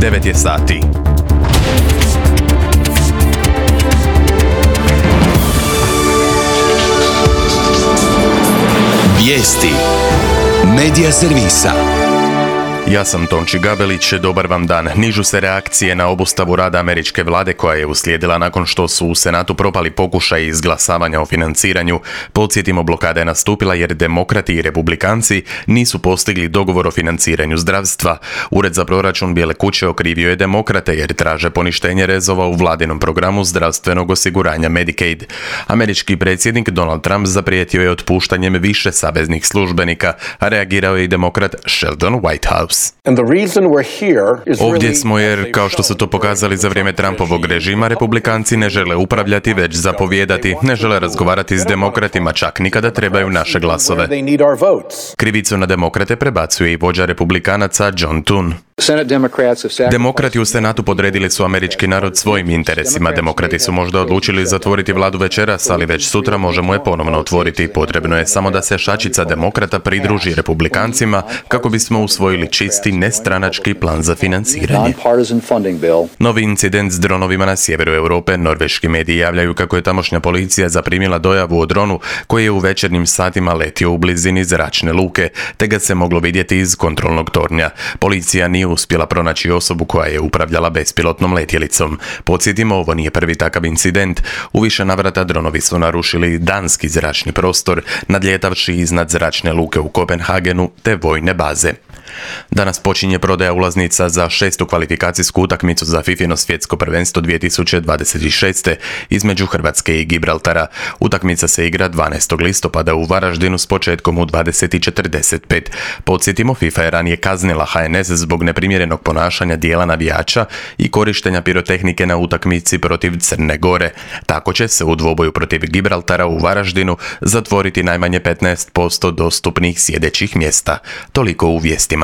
9 je sati. Vijesti Medija servisa. Ja sam Tonči Gabelić, dobar vam dan. Nižu se reakcije na obustavu rada američke vlade koja je uslijedila nakon što su u Senatu propali pokušaj izglasavanja o financiranju. Podsjetimo, blokada je nastupila jer demokrati i republikanci nisu postigli dogovor o financiranju zdravstva. Ured za proračun Bijele kuće okrivio je demokrate jer traže poništenje rezova u vladinom programu zdravstvenog osiguranja Medicaid. Američki predsjednik Donald Trump zaprijetio je otpuštanjem više saveznih službenika, a reagirao je i demokrat Sheldon Whitehouse. Ovdje smo jer, kao što su to pokazali za vrijeme Trumpovog režima, republikanci ne žele upravljati, već zapovijedati, ne žele razgovarati s demokratima, čak ni kada trebaju naše glasove. Krivicu na demokrate prebacuje i vođa republikanaca John Thune. Demokrati u Senatu podredili su američki narod svojim interesima. Demokrati su možda odlučili zatvoriti vladu večeras, ali već sutra možemo je ponovno otvoriti. Potrebno je samo da se šačica demokrata pridruži republikancima kako bismo usvojili čisti, nestranački plan za financiranje. Novi incident s dronovima na sjeveru Europe. Norveški mediji javljaju kako je tamošnja policija zaprimila dojavu o dronu koji je u večernjim satima letio u blizini zračne luke, te ga se moglo vidjeti iz kontrolnog tornja. Policija nije uspjela pronaći osobu koja je upravljala bespilotnom letjelicom. Podsjetimo, ovo nije prvi takav incident. U više navrata dronovi su narušili danski zračni prostor, nadljetavši iznad zračne luke u Kopenhagenu te vojne baze. Danas počinje prodaja ulaznica za 6. kvalifikacijsku utakmicu za FIFIno svjetsko prvenstvo 2026. između Hrvatske i Gibraltara. Utakmica se igra 12. listopada u Varaždinu s početkom u 20:45. Podsjetimo, FIFA je ranije kaznila HNS zbog neprimjerenog ponašanja dijela navijača i korištenja pirotehnike na utakmici protiv Crne Gore. Tako će se u dvoboju protiv Gibraltara u Varaždinu zatvoriti najmanje 15% dostupnih sjedećih mjesta. Toliko u vijestima.